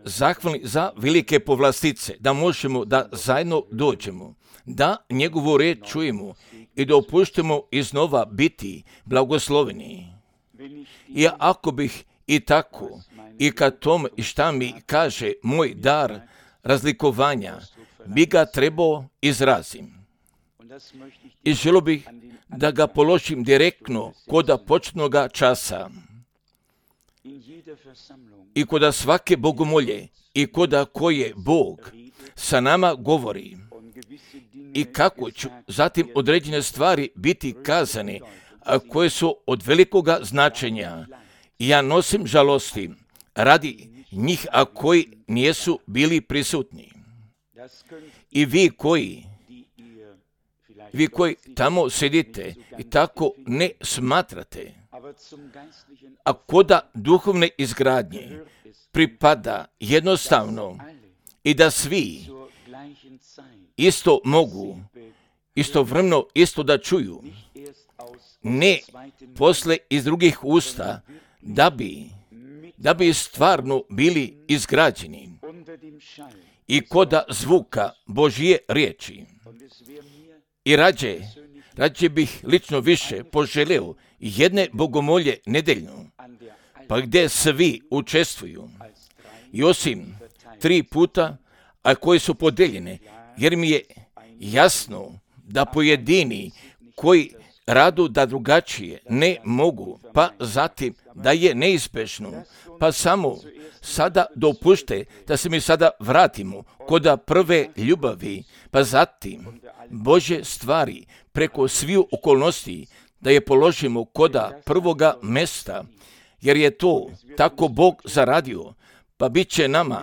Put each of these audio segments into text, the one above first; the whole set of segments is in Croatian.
zahvalni za velike povlastice, da možemo da zajedno dođemo, da njegovu riječ čujemo i da opuštemo iznova biti blagosloveni. I ako bih i tako, i kad tom i šta mi kaže moj dar razlikovanja, bi ga trebao izrazim. I želio bih da ga položim direktno koda početnoga časa i koda svake bogomolje i koda koje Bog sa nama govori i kako ću zatim određene stvari biti kazane, a koje su od velikoga značenja. Ja nosim žalosti radi njih, a koji nijesu bili prisutni. I vi koji tamo sedite i tako ne smatrate, a koda duhovne izgradnje pripada jednostavno i da svi isto mogu, istovremeno isto da čuju, ne posle iz drugih usta, da bi stvarno bili izgrađeni i koda zvuka Božje riječi. I rađe bih lično više poželeo jedne bogomolje nedeljno, pa gdje svi učestvuju. I osim 3 puta, a koje su podeljene, jer mi je jasno da pojedini koji radu da drugačije ne mogu, pa zatim da je neizbježno, pa samo sada dopušte da se mi sada vratimo koda prve ljubavi, pa zatim Božje stvari preko sviju okolnosti da je položimo koda prvoga mesta, jer je to tako Bog zaradio, pa bit će nama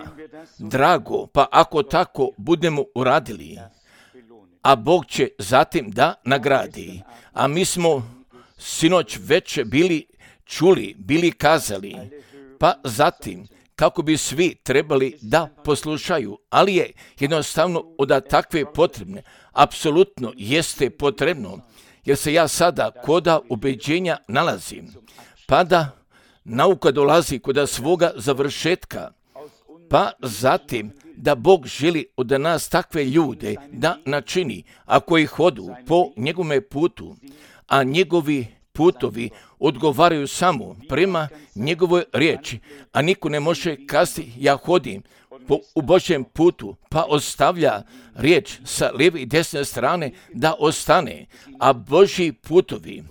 drago, pa ako tako budemo uradili, a Bog će zatim da nagradi. A mi smo sinoć već bili kazali, pa zatim kako bi svi trebali da poslušaju, ali je jednostavno od takve potrebne, apsolutno jeste potrebno, jer se ja sada koda ubeđenja nalazim, pa da nauka dolazi koda svoga završetka, pa zatim da Bog želi od nas takve ljude da načini, ako ih hodu po njegovome putu, a njegovi putovi odgovaraju samo prema njegovoj riječi, a niko ne može kazati ja hodim u Božjem putu, pa ostavlja riječ sa lijeve i desne strane da ostane, a Božji putovi,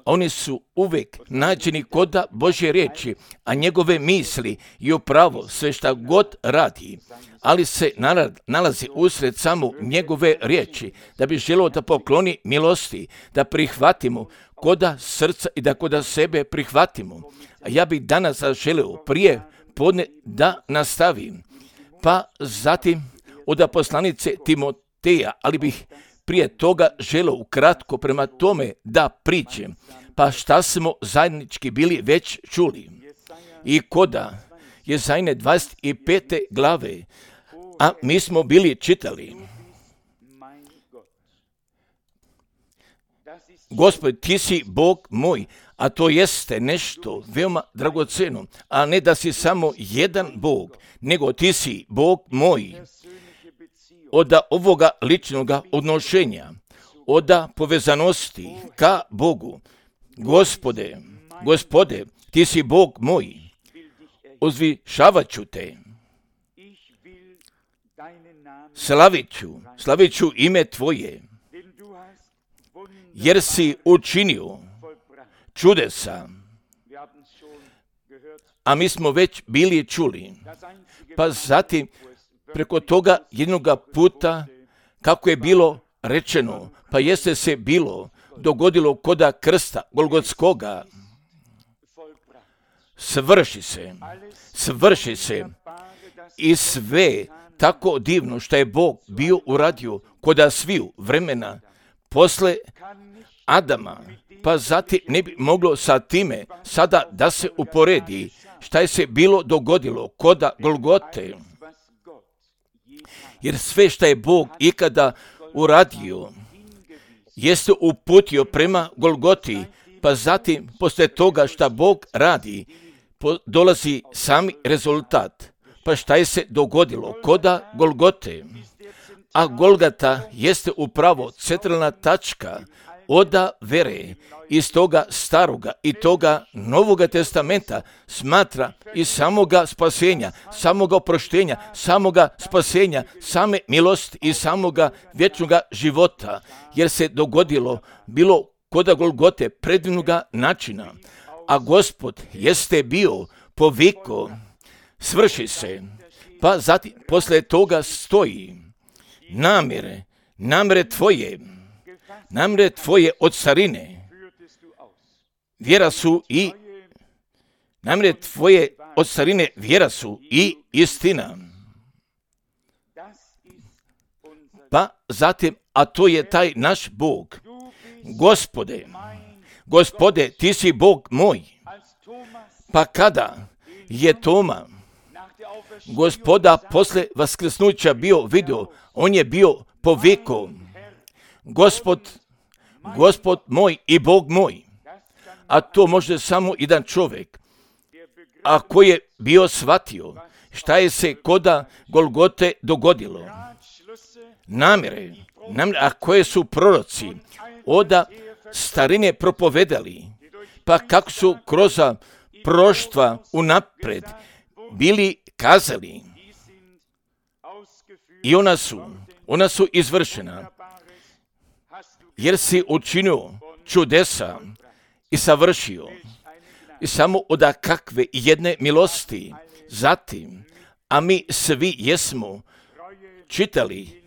oni su uvijek nađeni koda Božje riječi, a njegove misli i upravo sve šta god radi, ali se nalazi usred samo njegove riječi, da bi želio da pokloni milosti, da prihvatimo koda srca i da koda sebe prihvatimo. A ja bih danas želio prije podne da nastavim, pa zatim od poslanice Timoteja, ali bih prije toga želio ukratko prema tome da pričem, pa šta smo zajednički bili već čuli. I koda Jezajne 25. glave, a mi smo bili čitali: Gospod, ti si Bog moj, a to jeste nešto veoma dragoceno, a ne da si samo jedan Bog, nego ti si Bog moj. Od ovoga ličnoga odnošenja, od povezanosti ka Bogu. Gospode, ti si Bog moj, uzvišavat ću te, slavit ću ime tvoje, jer si učinio čudesa. A mi smo već bili čuli, pa zatim preko toga jednoga puta, kako je bilo rečeno, pa jeste se dogodilo koda krsta Golgotskoga, svrši se i sve tako divno što je Bog bio uradio koda sviju vremena posle Adama, pa zatim ne bi moglo sa time sada da se uporedi šta je se bilo dogodilo koda Golgote. Jer sve što je Bog ikada uradio jeste uputio prema Golgoti, pa zatim posle toga šta Bog radi, dolazi sami rezultat. Pa šta je se dogodilo? Koda Golgote. A Golgata jeste upravo centralna tačka oda vere iz toga staroga i toga novoga testamenta smatra i samoga spasenja, samoga oproštenja, samoga spasenja, same milosti i samoga vječnoga života, jer se dogodilo bilo koda Golgote predivnoga načina, a Gospod jeste bio poviko, svrši se, pa zatim posle toga stoji namjere tvoje od starine, vjera su i namjere tvoje od starine, vjera su i istina. Pa zatim, a to je taj naš Bog. Gospode, ti si Bog moj. Pa kada je Toma Gospoda posle vaskrsnuća bio vidio, on je bio poviko, Gospod moj i Bog moj. A to može samo jedan čovjek, ako je bio shvatio šta je se koda Golgote dogodilo. Namjere, a koje su proroci oda starine propovedali, pa kako su kroz proštva unapred bili kazali i ona su izvršena, jer si učinio čudesa i savršio i samo od kakve jedne milosti. Zatim, a mi svi jesmo čitali,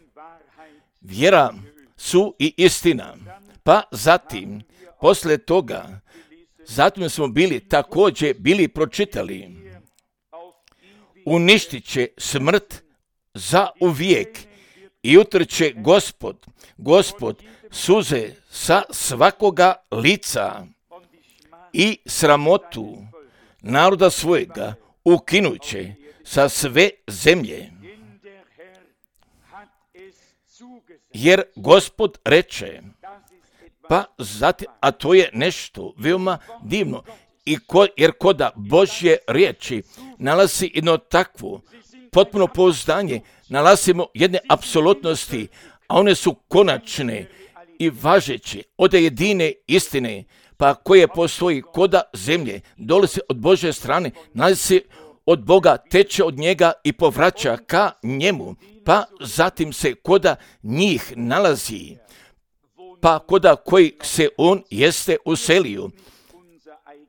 vjera su i istina. Pa zatim, posle toga, zatim smo također bili pročitali, uništit će smrt za uvijek i utrće Gospod suze sa svakoga lica i sramotu naroda svojega ukinuće sa sve zemlje. Jer Gospod reče, pa zatim, a to je nešto veoma divno, jer koda Božje riječi nalazi jedno takvo potpuno pouzdanje, nalazimo jedne apsolutnosti, a one su konačne i važeće od jedine istine, pa koje postoji koda zemlje, dolazi od Božje strane, nalazi od Boga, teče od njega i povraća ka njemu, pa zatim se koda njih nalazi, pa koda koji se on jeste uselio.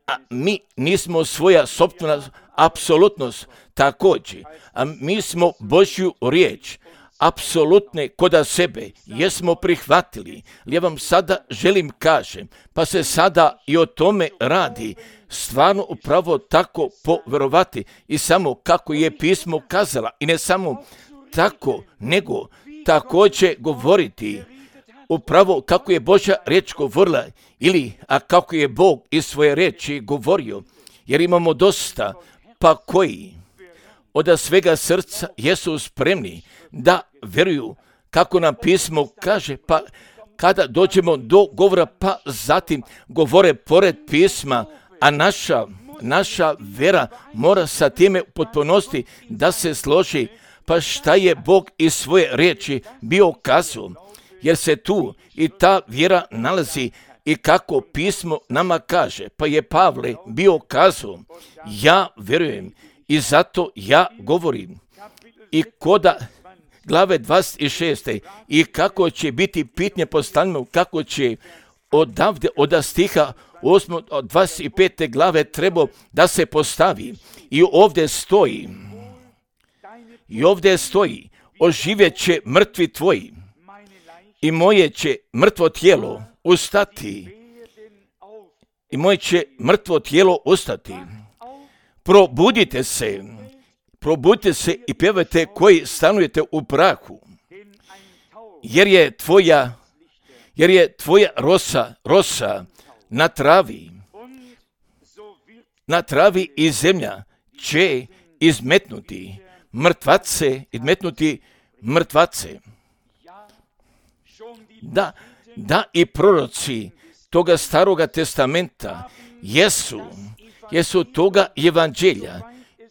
A mi nismo svoja sopstvena apsolutnost također, a mi smo Božju riječ apsolutne koda sebe jesmo prihvatili. Ja vam sada želim kažem, pa se sada i o tome radi, stvarno upravo tako poverovati i samo kako je pismo kazala, i ne samo tako, nego također govoriti upravo kako je Božja riječ govorila, ili a kako je Bog iz svoje riječi govorio, jer imamo dosta, pa koji od svega srca jesu spremni da vjeruju kako nam pismo kaže, pa kada dođemo do govora, pa zatim govore pored pisma, a naša vera mora sa time u potpunosti da se složi, pa šta je Bog iz svoje riječi bio kazao, jer se tu i ta vjera nalazi i kako pismo nama kaže, pa je Pavle bio kazao, ja vjerujem i zato ja govorim. I koda glave 26. i kako će biti pitanje postavljeno, kako će odavde od stiha 8. od 25. glave treba da se postavi. I ovdje stoji, oživjet će mrtvi tvoji i moje će mrtvo tijelo ustati. I moje će mrtvo tijelo ustati. Probudite se i pjevajte koji stanujete u prahu, jer je tvoja rosa na travi i zemlja će izmetnuti mrtvace. Da i proroci toga staroga testamenta jesu toga evanđelja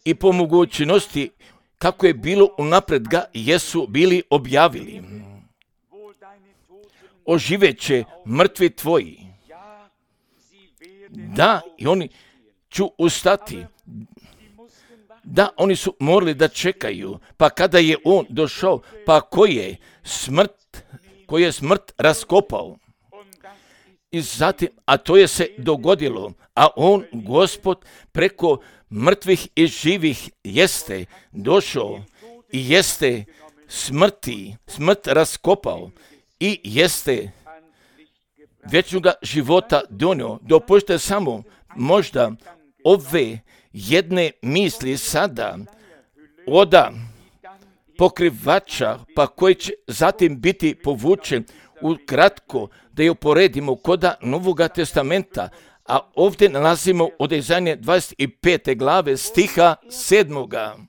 i po mogućnosti kako je bilo unapred ga jesu bili objavili. Oživeće mrtvi tvoji. Da, i oni ću ustati. Da, oni su morali da čekaju, pa kada je on došao, pa ko je smrt raskopao. I zatim, a to je se dogodilo, a on, Gospod, preko mrtvih i živih jeste došao i jeste smrt raskopao i jeste vječnoga života donio. Dopustite samo možda ove jedne misli sada oda pokrivača, pa koji će zatim biti povučen ukratko da je uporedimo koda Novoga testamenta, a ovdje nalazimo od Izaije 25. glave stiha 7.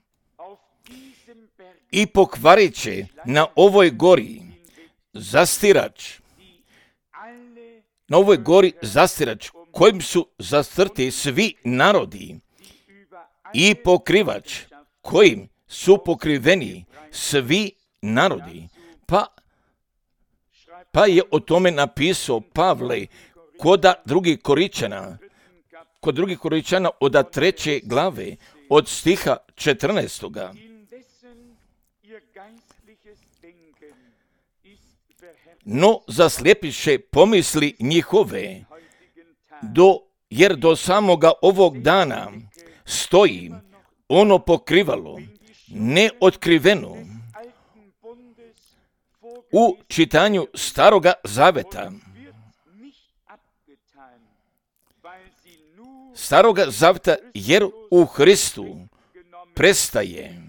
I pokvarit će na ovoj gori zastirač, kojim su zastrti svi narodi, i pokrivač kojim su pokriveni svi narodi. Pa je o tome napisao Pavle kod drugih Koričana od 3. glave od stiha 14. No zaslijepiše pomisli njihove, jer do samoga ovog dana stoji ono pokrivalo, neotkriveno, u čitanju Staroga zaveta. Jer u Hristu prestaje.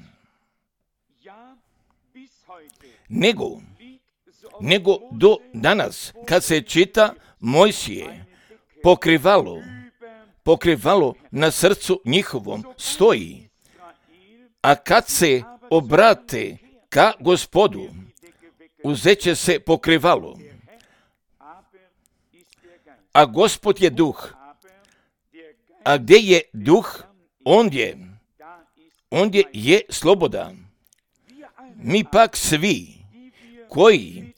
Nego do danas, kad se čita Mojsije, pokrivalo na srcu njihovom stoji, a kad se obrate ka Gospodu, uzeće se pokrivalo. A Gospod je duh. A gdje je duh, ondje je sloboda. Mi pak svi, koji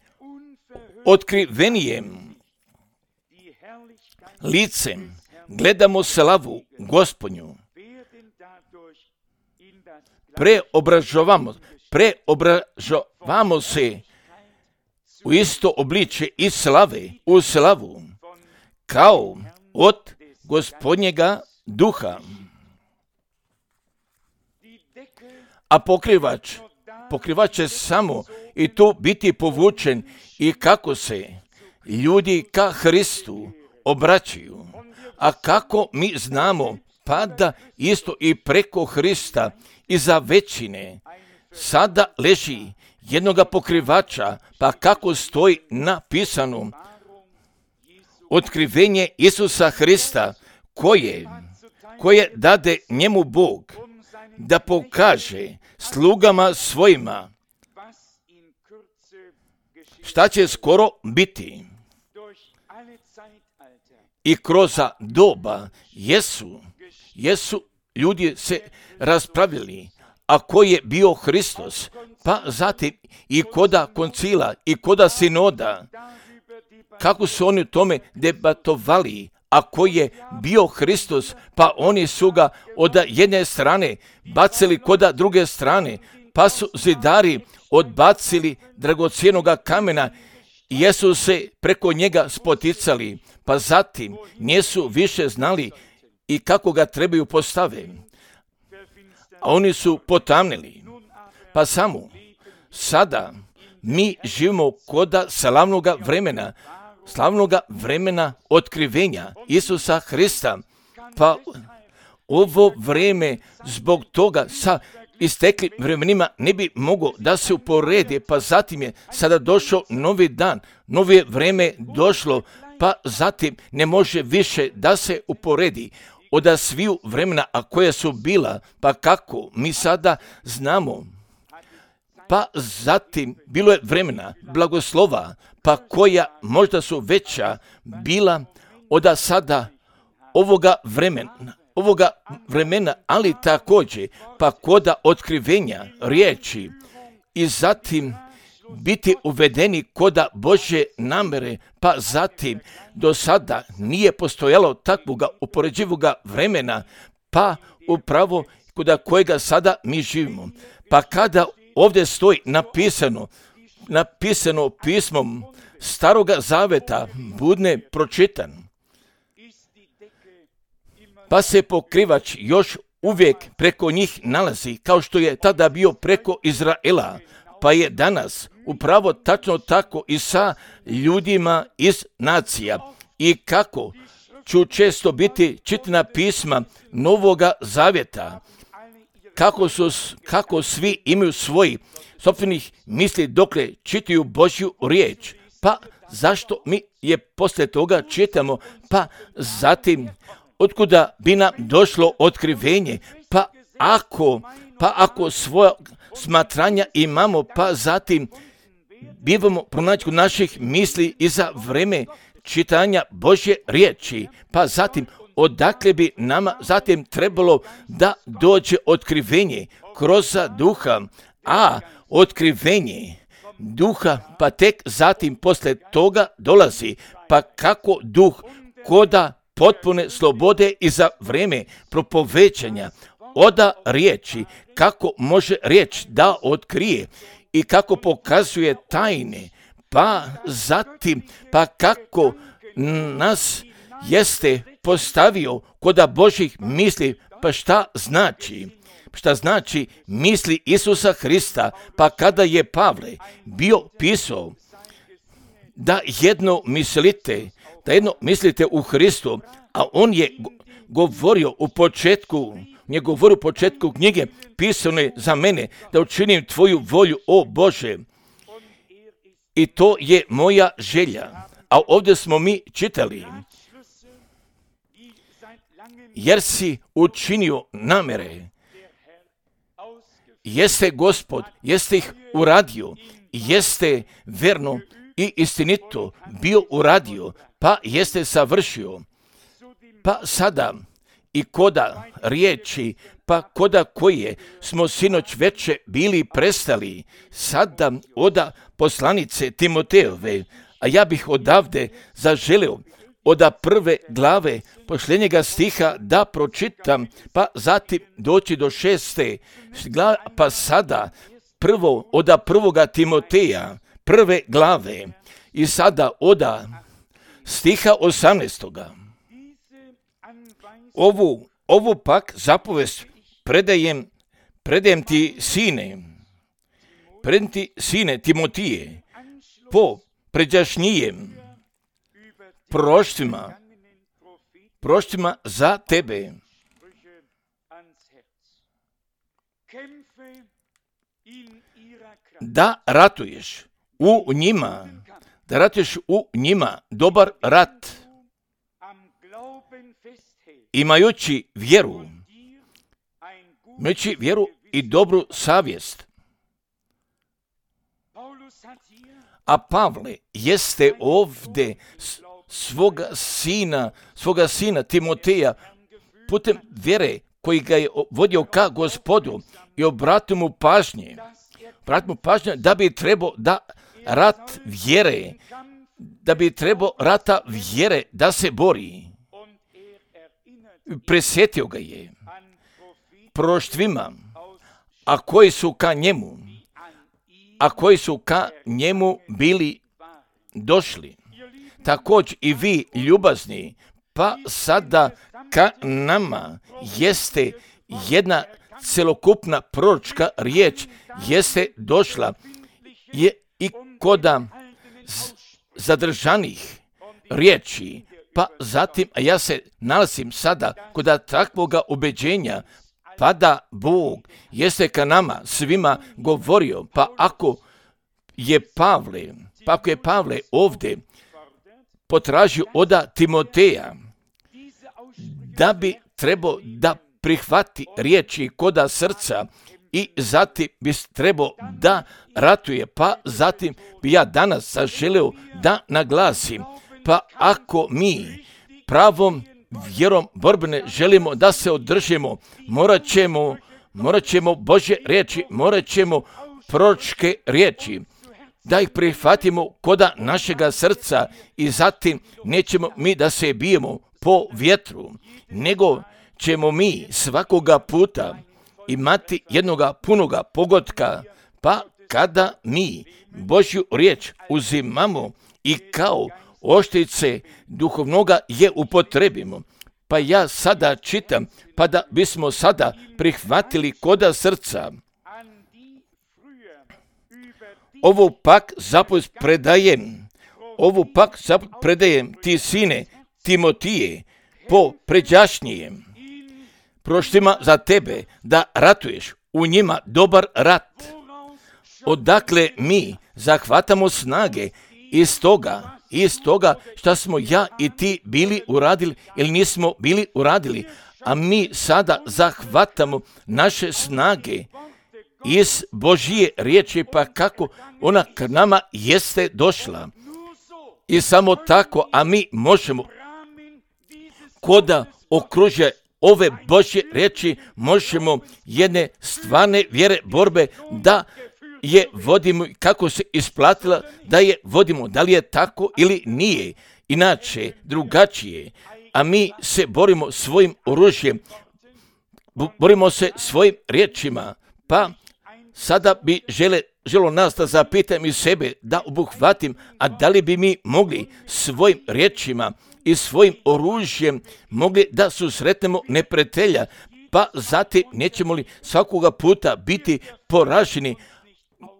otkrivenijem licem gledamo slavu Gospodnju, preobražavamo se u isto obličje i slave u slavu, kao od Gospodnjega duha. A pokrivač će samo i tu biti povučen i kako se ljudi ka Hristu obraćaju. A kako mi znamo, pa da isto i preko Hrista iza većine sada leži jednoga pokrivača, pa kako stoji napisano otkrivenje Isusa Hrista, koje dade njemu Bog da pokaže slugama svojima šta će skoro biti. I kroz doba jesu ljudi se raspravili, a ko je bio Hristos, pa zatim i koda koncila i koda sinoda, kako su oni o tome debatovali, a ko je bio Hristos, pa oni su ga od jedne strane bacili koda druge strane, pa su zidari odbacili dragocjenoga kamena i jesu se preko njega spoticali, pa zatim nisu više znali i kako ga trebaju postaviti. A oni su potamnili. Pa samo sada mi živimo koda slavnoga vremena otkrivenja Isusa Hrista. Pa ovo vreme zbog toga sa isteklim vremenima ne bi moglo da se uporedi, pa zatim je sada došao novi dan, novo vreme došlo, pa zatim ne može više da se uporedi od sviju vremena, a koja su bila, pa kako mi sada znamo. Pa zatim bilo je vremena blagoslova, pa koja možda su veća bila od sada ovoga vremena, ovoga vremena, ali također pa koda otkrivenja riječi i zatim biti uvedeni koda Božje namere, pa zatim do sada nije postojalo takvoga upoređivoga vremena, pa upravo koda kojega sada mi živimo. Pa kada ovdje stoji napisano pismom Staroga Zaveta, budne pročitan, pa se pokrivač još uvijek preko njih nalazi, kao što je tada bio preko Izraela, pa je danas upravo tačno tako i sa ljudima iz nacija. I kako ću često biti čitana pisma Novoga Zavjeta, kako svi imaju svoji sopstvenih misli dokle čitaju Božju riječ. Pa zašto mi je poslije toga čitamo? Pa zatim, otkuda bi nam došlo otkrivenje? Pa ako svoja smatranja imamo, pa zatim bivamo pronaći kod naših misli i za vreme čitanja Božje riječi. Pa zatim, odakle bi nama zatim trebalo da dođe otkrivenje kroz duha, a otkrivenje duha pa tek zatim posle toga dolazi, pa kako duh koda potpune slobode i za vreme propovećanja oda riječi, kako može riječ da otkrije i kako pokazuje tajne, pa zatim pa kako nas jeste postavio koda Božjih misli, pa šta znači misli Isusa Hrista, pa kada je Pavle bio pisao da jedno mislite u Hristu, a on je govorio u početku knjige pisane za mene, da učinim tvoju volju, o Bože, i to je moja želja. A ovdje smo mi čitali, jer si učinio namere, jeste Gospod, jeste ih uradio, jeste verno i istinito bio uradio, pa jeste savršio. Pa sada i koda riječi, pa koda koje smo sinoć veče bili prestali, sada oda poslanice Timoteove, a ja bih odavde zaželio oda prve glave posljednjega stiha da pročitam, pa zatim doći do 6. glave, pa sada prvo oda prvoga Timoteja, prve glave, i sada oda stiha 18. Ovu pak zapovest predajem ti sine Timotije, po pređašnjijem proštvima za tebe, da ratuješ u njima dobar rat, imajući vjeru i dobru savjest. A Pavle jeste ovdje svoga sina Timoteja putem vjere koji ga je vodio ka Gospodu i obratio mu pažnje da bi trebao rata vjere da se bori. Presjetio ga je proštvima, a koji su ka njemu bili došli. Također i vi, ljubazni, pa sada ka nama jeste jedna celokupna proročka riječ jeste došla i koda zadržanih riječi, pa zatim, a ja se nalazim sada koda takvoga ubeđenja, pa da Bog jeste ka nama svima govorio, pa ako je Pavle ovdje potražio oda Timoteja da bi trebao da prihvati riječi koda srca i zatim bi trebao da ratuje, pa zatim bi ja danas zaželio da naglasim, pa ako mi pravom vjerom borbene želimo da se održimo, morat ćemo Božje riječi, morat ćemo proročke riječi, da ih prihvatimo koda našega srca i zatim nećemo mi da se bijemo po vjetru, nego ćemo mi svakoga puta imati jednoga punoga pogotka, pa kada mi Božju riječ uzimamo i kao oštrice duhovnoga je upotrebimo. Pa ja sada čitam, pa da bismo sada prihvatili koda srca. Ovu pak zapovijest predajem ti, sine Timotije, po pređašnjijem proštima za tebe, da ratuješ u njima dobar rat, odakle mi zahvatamo snage iz toga što smo ja i ti bili uradili ili nismo bili uradili, a mi sada zahvatamo naše snage iz Božje riječi, pa kako ona k nama jeste došla. I samo tako, a mi možemo koda okružje ove Božje riječi, možemo jedne stvarne vjere borbe da je vodimo, kako se isplatila da je vodimo, da li je tako ili nije, inače drugačije, a mi se borimo svojim oružjem, borimo se svojim riječima, pa sada bi želo nas da zapitam i sebe, da obuhvatim, a da li bi mi mogli svojim riječima i svojim oružjem mogli da susretnemo neprijatelja, pa zatim nećemo li svakoga puta biti poraženi,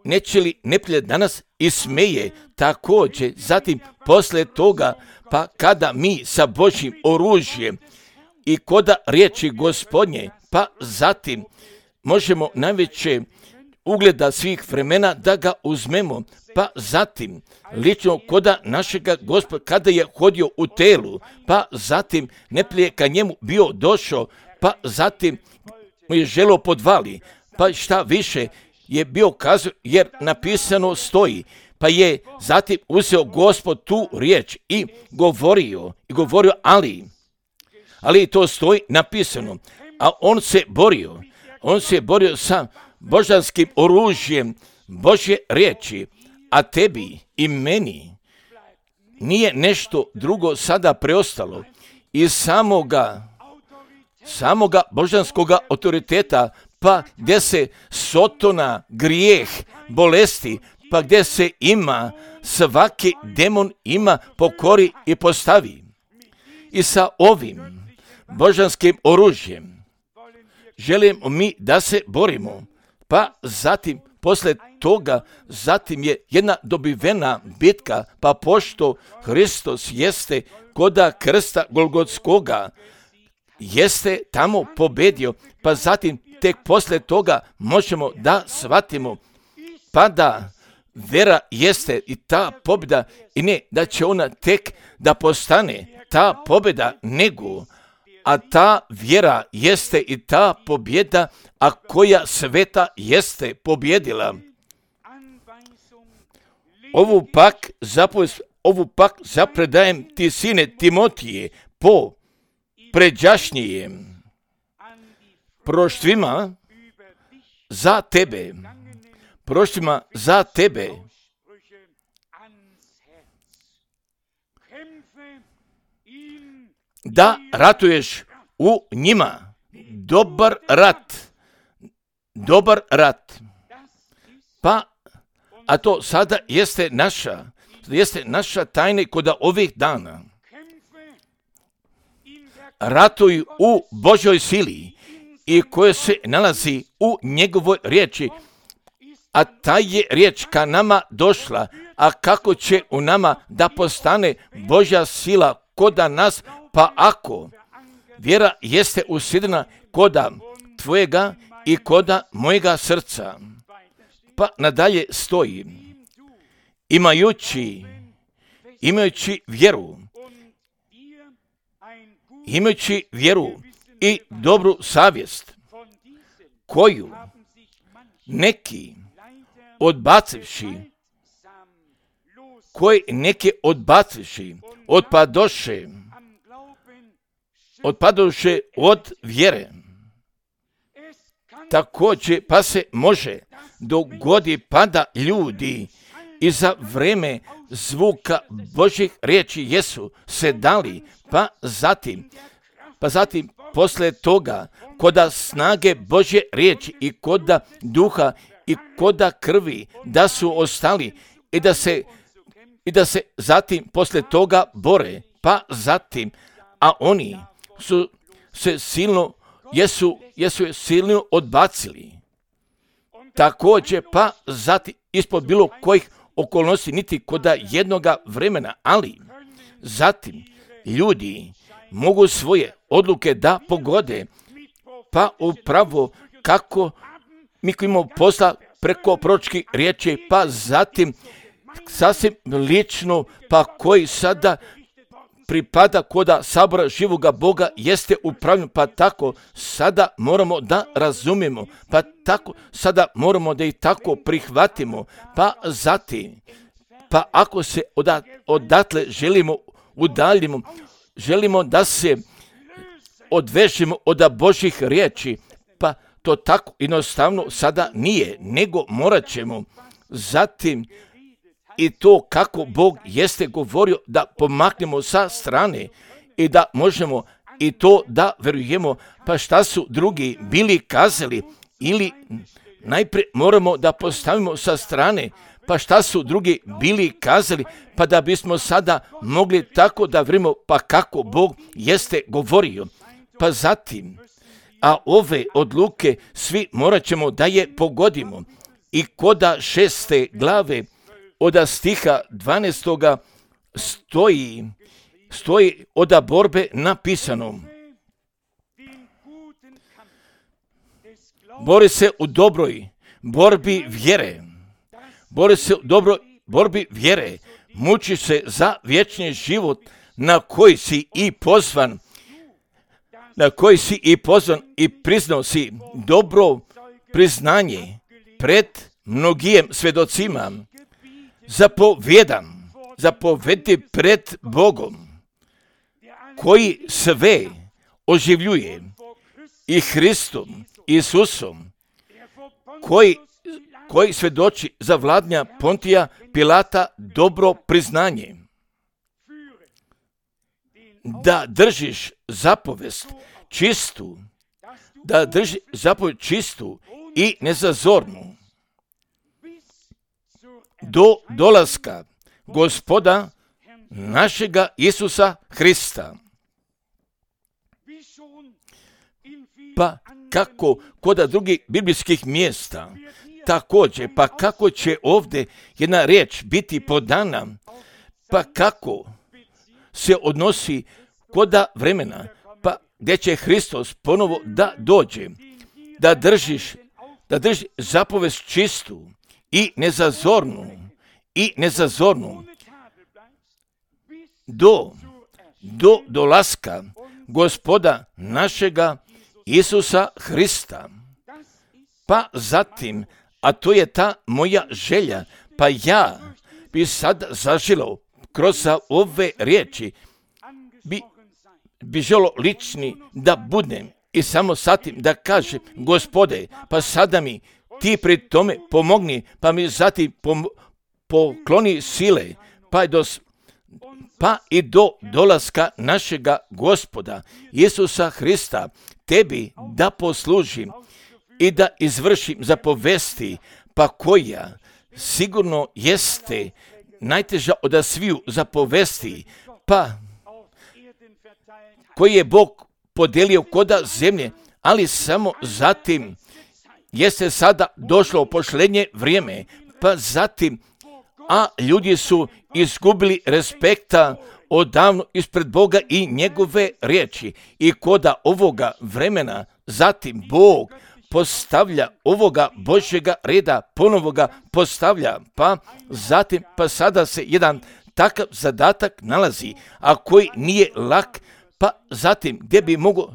neće li neprijatelj danas ismeje također, zatim posle toga, pa kada mi sa Božjim oružjem i koda riječi Gospodnje, pa zatim možemo najveće ugleda svih vremena da ga uzmemo, pa zatim lično koda našega Gospoda kada je hodio u telu, pa zatim neprijatelj ka njemu bio došao, pa zatim mu je želo podvali, pa šta više je bio kazao, jer napisano stoji, pa je zatim uzeo Gospod tu riječ i govorio, ali to stoji napisano, a on se borio sa božanskim oružjem Božje riječi, a tebi i meni nije nešto drugo sada preostalo iz samoga božanskoga autoriteta, pa gdje se sotona, grijeh, bolesti, pa gdje se ima svaki demon ima pokori i postavi. I sa ovim božanskim oružjem želimo mi da se borimo, pa zatim posle toga zatim je jedna dobivena bitka, pa pošto Hristos jeste koda krsta Golgotskoga, jeste tamo pobedio, pa zatim tek posle toga možemo da shvatimo, pa da vera jeste i ta pobjeda, i ne da će ona tek da postane ta pobjeda, nego a ta vjera jeste i ta pobjeda, a koja sveta jeste pobjedila. Ovu pak zapredajem ti, sine Timotije, po pređašnjijem proštvima za tebe, da ratuješ u njima dobar rat. Pa, a to sada jeste naša tajna kod ovih dana. Ratuj u Božoj sili i koje se nalazi u njegovoj riječi, a ta je riječ ka nama došla, a kako će u nama da postane Božja sila koda nas, pa ako vjera jeste usidrena koda tvojega i koda mojega srca. Pa nadalje stoji, imajući vjeru i dobru savjest, koju neki odbacivši, otpadoše, otpadoše od vjere. Također, pa se može dogodi pada ljudi i za vreme zvuka Božjih riječi jesu se dali, pa zatim posle toga koda snage Božje riječi i koda duha i koda krvi da su ostali i da se zatim posle toga bore, pa zatim, a oni su se jesu je silno odbacili. Također, pa zatim ispod bilo kojih okolnosti niti koda jednoga vremena, ali zatim ljudi mogu svoje odluke da pogode, pa upravo kako mi koji imamo posla preko proročkih riječi, pa zatim sasvim lično, pa koji sada pripada koda sabora živoga Boga jeste upravljen, pa tako sada moramo da razumijemo, pa tako sada moramo da i tako prihvatimo, pa zatim, pa ako se odatle želimo da se odvežemo od Božjih riječi, pa to tako jednostavno sada nije, nego morat ćemo zatim i to kako Bog jeste govorio da pomaknemo sa strane i da možemo i to da verujemo, pa šta su drugi bili kazali, ili najprije moramo da postavimo sa strane, pa šta su drugi bili kazali, pa da bismo sada mogli tako da verujemo, pa kako Bog jeste govorio. Pa zatim, a ove odluke svi morat ćemo da je pogodimo. I koda 6. glave od stiha 12. stoji od borbe napisano: bori se u dobroj borbi vjere. Bori se u dobroj borbi vjere. Muči se za vječni život na koji si i pozvan. I priznao si dobro priznanje pred mnogim svjedocima. Zapovedi pred Bogom, koji sve oživljuje, i Hristom Isusom, koji svjedoči za vladnja Pontija Pilata dobro priznanje, da držiš zapovest čistu i nezazornu do dolaska Gospoda našega Isusa Hrista. Pa kako kod drugih biblijskih mjesta, također, pa kako će ovdje jedna riječ biti podana, pa kako se odnosi koda vremena, pa gdje će Hristos ponovo da dođe, da držiš zapovest čistu i nezazornu do dolaska Gospoda našega Isusa Hrista. Pa zatim, a to je ta moja želja, pa ja bi sad zaželao kroz ove riječi, bi želio lični da budem i samo satim da kažem: Gospode, pa sada mi ti pri tome pomogni, pa mi zatim pokloni sile, pa i do dolaska našega Gospoda Isusa Hrista, tebi da poslužim i da izvršim zapovesti, pa koja sigurno jeste najteža od sviju zapovesti, pa koji je Bog podijelio koda zemlje, ali samo zatim jeste sada došlo posljednje vrijeme, pa zatim, a ljudi su izgubili respekta odavno ispred Boga i njegove riječi. I koda ovoga vremena zatim Bog postavlja ovoga Božjega reda, ponovo ga postavlja, pa zatim, pa sada se jedan takav zadatak nalazi, a koji nije lak, pa zatim gdje bi mogao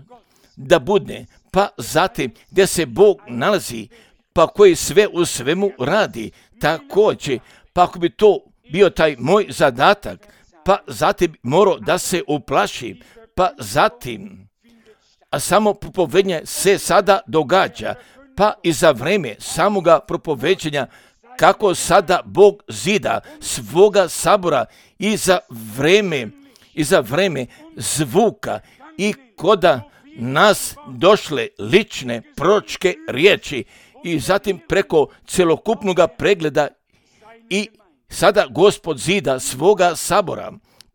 da bude, pa zatim gdje se Bog nalazi, pa koji sve u svemu radi, također, pa ako bi to bio taj moj zadatak, pa zatim morao da se uplašim, pa zatim a samo propovedanje se sada događa, pa i za vreme samoga propoveđenja, kako sada Bog zida svoga sabora i za vreme zvuka i koda nas došle lične proročke riječi i zatim preko celokupnog pregleda i sada Gospod zida svoga sabora,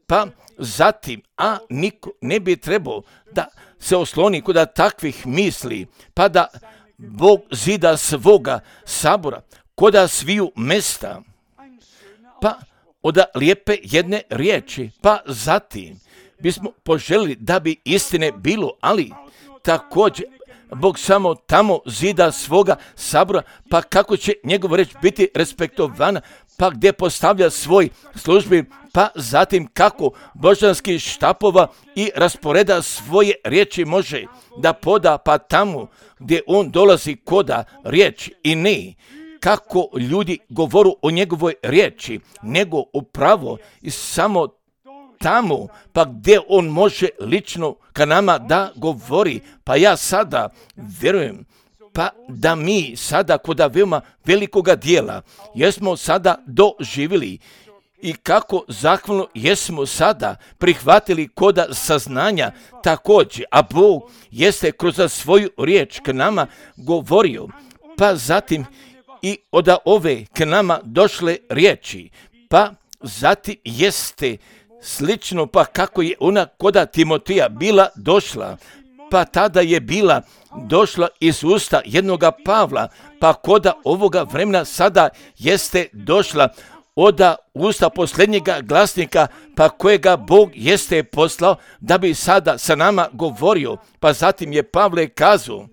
pa zatim, a niko ne bi trebao da se osloni kod takvih misli, pa da Bog zida svoga sabora kod sviju mesta, pa od lijepe jedne riječi, pa zatim bismo poželjeli da bi istine bilo, ali također Bog samo tamo zida svoga sabora, pa kako će njegov reč biti respektovana, pa gdje postavlja svoj službi, pa zatim kako božanskih štapova i rasporeda svoje riječi može da poda, pa tamo gdje on dolazi koda riječ i ne kako ljudi govoru o njegovoj riječi, nego upravo i samo tamo, pa gdje on može lično ka nama da govori. Pa ja sada vjerujem, pa da mi sada kod veoma velikoga dijela jesmo sada doživjeli i kako zahvalno jesmo sada prihvatili kod saznanja također, a Bog jeste kroz svoju riječ k nama govorio, pa zatim i od ove k nama došle riječi, pa zatim jeste slično, pa kako je ona koda Timotija bila došla, pa tada je bila došla iz usta jednoga Pavla, pa koda ovoga vremena sada jeste došla od usta posljednjega glasnika, pa kojega Bog jeste poslao da bi sada sa nama govorio, pa zatim je Pavle kazao,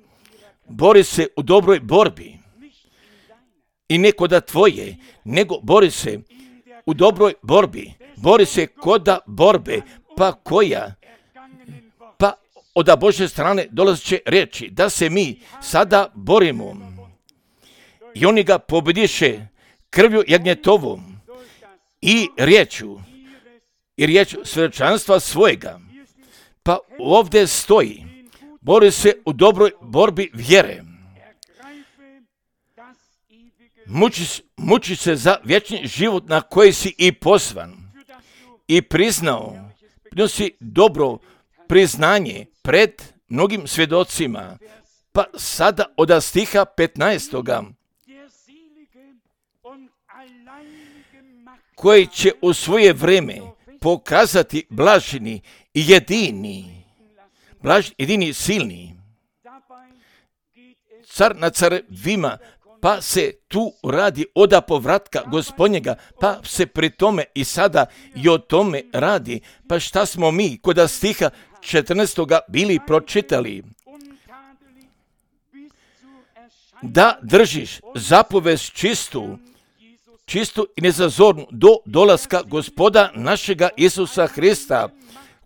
bori se u dobroj borbi i ne koda tvoje, nego bori se u dobroj borbi, bori se koda borbe, pa koja, pa od Božje strane dolazit će reći da se mi sada borimo i oni ga pobediše krvju jagnjetovom i riječu svjedočanstva svojega. Pa ovdje stoji, bori se u dobroj borbi vjere, muči se za vječni život na koji si i pozvan i prinosi dobro priznanje pred mnogim svjedocima. Pa sada od stiha 15. koji će u svoje vrijeme pokazati blaženi i jedini silni, car na carevima, pa se tu radi oda povratka Gospodnjega, pa se pri tome i sada i o tome radi. Pa šta smo mi kod stiha 14. bili pročitali? Da držiš zapovest čistu i nezazornu do dolaska Gospoda našega Isusa Hrista,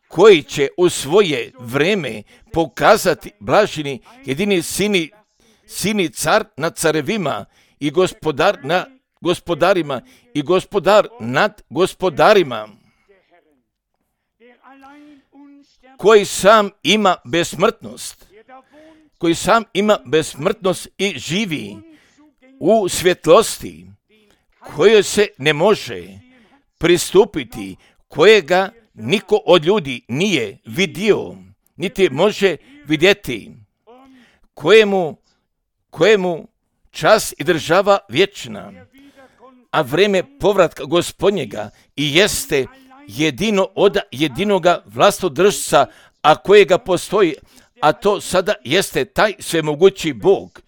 koji će u svoje vrijeme pokazati blaženi jedini sini car nad carevima i gospodar nad gospodarima i gospodar nad gospodarima, koji sam ima besmrtnost i živi u svjetlosti kojoj se ne može pristupiti, kojega niko od ljudi nije vidio, niti može vidjeti, kojemu čas i država vječna, a vrijeme povratka Gospodnjega i jeste jedino od jedinoga vlastodržca, a kojega postoji, a to sada jeste taj svemogući Bog.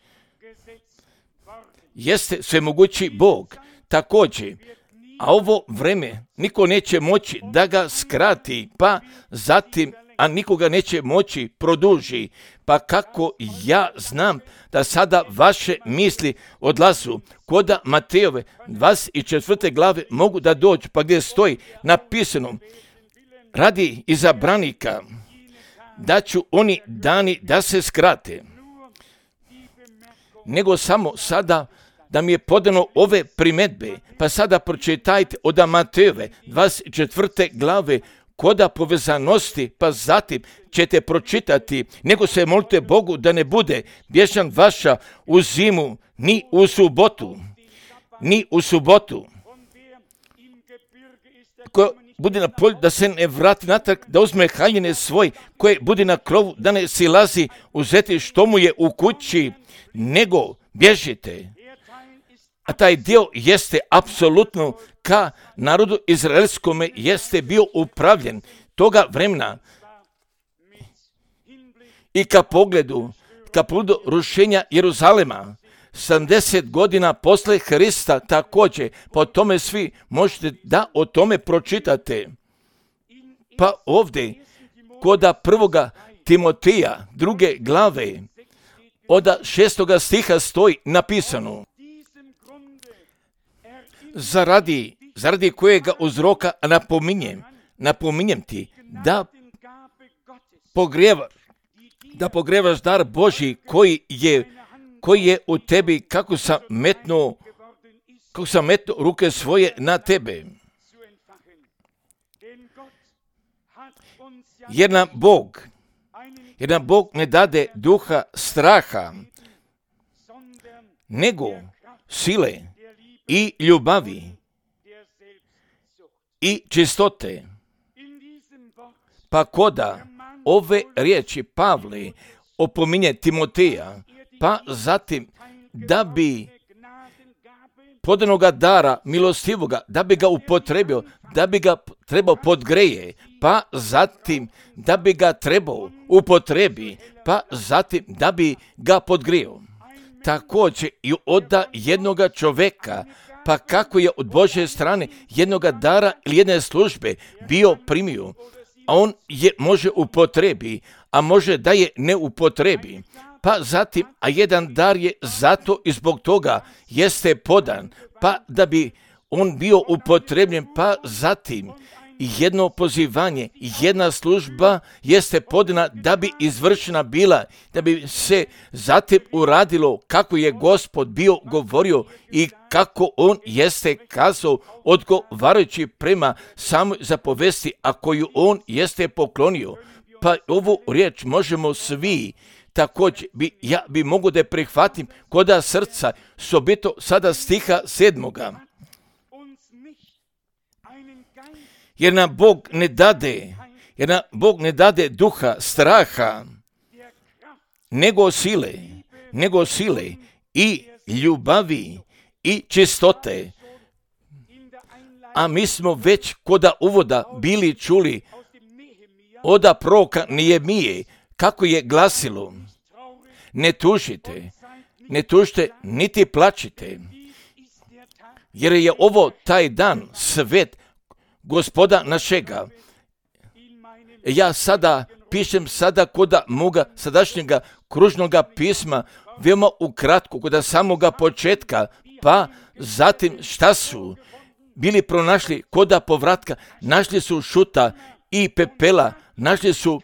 Jeste svemogući Bog također, a ovo vrijeme niko neće moći da ga skrati, pa zatim, a nikoga neće moći produži. Pa kako ja znam da sada vaše misli odlazu kod Matejove 24. glave mogu da dođu, pa gdje stoji napisano, radi izabranika da ću oni dani da se skrate, nego samo sada da mi je podano ove primjedbe, pa sada pročitajte od Matejove 24. glave koda povezanosti, pa zatim ćete pročitati, nego se molite Bogu da ne bude bježan vaša u zimu, ni u subotu. Ko bude na polju, da se ne vrati natrag, da uzme haljine svoj, koje bude na krovu, da ne silazi uzeti što mu je u kući, nego bježite. A taj dio jeste apsolutno ka narodu izraelskome jeste bio upravljen toga vremena i ka pogledu rušenja Jeruzalema. 70 godina posle Hrista također, pa o tome svi možete da o tome pročitate. Pa ovdje, koda 1. Timotija, 2. glave, od 6. stiha stoji napisano: zaradi kojega uzroka napominjem ti da pogrevaš dar Božji koji je u tebi, kako sam metnuo ruke svoje na tebe. Jer nam Bog ne dade duha straha, nego sile i ljubavi i čistote. Pa koda ove riječi Pavle opominje Timoteja, pa zatim da bi podanoga dara milostivoga, da bi ga upotrebio, da bi ga trebao podgreje, pa zatim da bi ga trebao upotrebi, pa zatim da bi ga podgrio. Također i od jednoga čoveka, pa kako je od Božje strane jednoga dara ili jedne službe bio primio, a on je može upotrebi, a može da je ne upotrebi. Pa zatim, a jedan dar je zato i zbog toga jeste podan, pa da bi on bio upotrebljen, pa zatim jedno pozivanje, jedna služba jeste podana da bi izvršena bila, da bi se zatim uradilo kako je Gospod bio govorio i kako on jeste kazao odgovarajući prema samoj zapovesti, a koju on jeste poklonio. Pa ovu riječ možemo svi također ja bi mogu da prihvatim koda srca sobito sada stiha 7. Jer nam Bog ne dade duha straha, nego sile i ljubavi i čistote. A mi smo već koda uvoda bili čuli od proroka Nehemije, kako je glasilo: ne tužite niti plačite, jer je ovo taj dan svet Gospoda našega. Ja sada pišem koda moga sadašnjega kružnoga pisma, veoma ukratko, koda samoga početka, pa zatim šta su bili pronašli koda povratka, našli su šuta i pepela, našli su